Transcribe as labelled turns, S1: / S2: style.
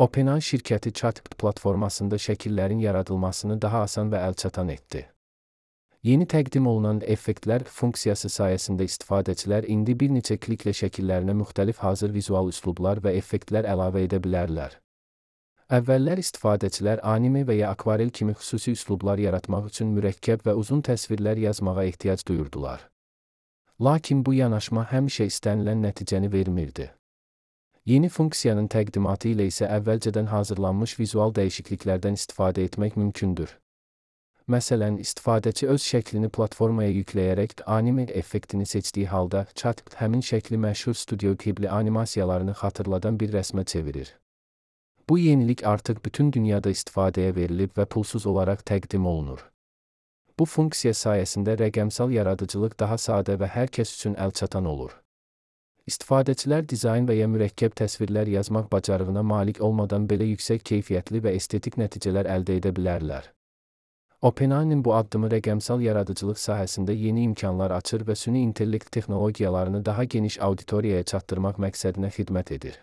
S1: OpenAI şirkəti ChatGPT platformasında şəkillərin yaradılmasını daha asan və əlçatan etdi. Yeni təqdim olunan effektlər funksiyası sayəsində istifadəçilər indi bir neçə kliklə şəkillərinə müxtəlif hazır vizual üslublar və effektlər əlavə edə bilərlər. Əvvəllər istifadəçilər anime və ya akvarel kimi xüsusi üslublar yaratmaq üçün mürəkkəb və uzun təsvirlər yazmağa ehtiyac duyurdular. Lakin bu yanaşma həmişə istənilən nəticəni vermirdi. Yeni funksiyanın təqdimatı ilə isə əvvəlcədən hazırlanmış vizual dəyişikliklərdən istifadə etmək mümkündür. Məsələn, istifadəçi öz şəklini platformaya yükləyərək anime effektini seçdiyi halda ChatGPT həmin şəkli məşhur Studio Ghibli animasiyalarını xatırladan bir rəsmə çevirir. Bu yenilik artıq bütün dünyada istifadəyə verilib və pulsuz olaraq təqdim olunur. Bu funksiya sayəsində rəqəmsal yaradıcılıq daha sadə və hər kəs üçün əlçatan olur. İstifadəçilər dizayn və ya mürəkkəb təsvirlər yazmaq bacarığına malik olmadan belə yüksək keyfiyyətli və estetik nəticələr əldə edə bilərlər. OpenAI-nin bu addımı rəqəmsal yaradıcılıq sahəsində yeni imkanlar açır və süni intellekt texnologiyalarını daha geniş auditoriyaya çatdırmaq məqsədinə xidmət edir.